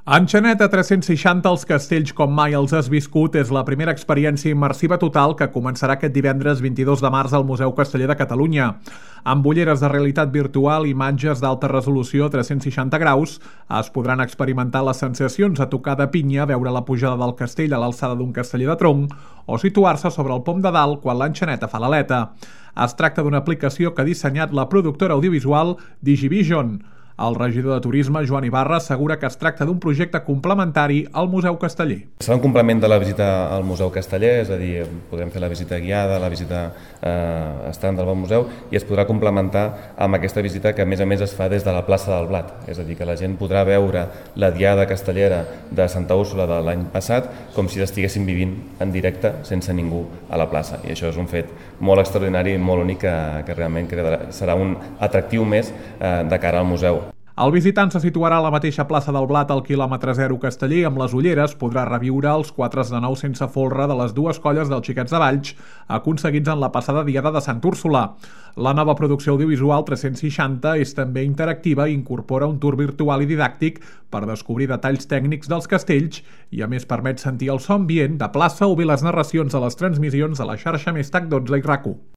Enxanet a 360 als castells com mai els has viscut és la primera experiència immersiva total que començarà aquest divendres 22 de març al Museu Casteller de Catalunya. Amb ulleres de realitat virtual i imatges d'alta resolució a 360 graus es podran experimentar les sensacions a tocar de pinya, veure la pujada del castell a l'alçada d'un casteller de tronc o situar-se sobre el pom de dalt quan l'enxaneta fa l'aleta. Es tracta d'una aplicació que ha dissenyat la productora audiovisual Digivision. El regidor de Turisme, Joan Ibarra, assegura que es tracta d'un projecte complementari al Museu Casteller. Serà un complement de la visita al Museu Casteller, és a dir, podrem fer la visita guiada, la visita estàndard del museu, i es podrà complementar amb aquesta visita que a més es fa des de la plaça del Blat, és a dir, que la gent podrà veure la diada castellera de Santa Úrsula de l'any passat com si l'estiguessin vivint en directe sense ningú a la plaça, i això és un fet molt extraordinari i molt únic que realment serà un atractiu més de cara al museu. El visitant se situarà a la mateixa plaça del Blat al quilòmetre 0 Casteller. Amb les ulleres podrà reviure els 4 de 9 sense folre de les dues colles dels Xiquets de Valls aconseguits en la passada diada de Santa Úrsula. La nova producció audiovisual 360 és també interactiva i incorpora un tour virtual i didàctic per descobrir detalls tècnics dels castells i a més permet sentir el so ambient de plaça o bé les narracions de les transmissions de la xarxa Més TAC 12 i RAC1.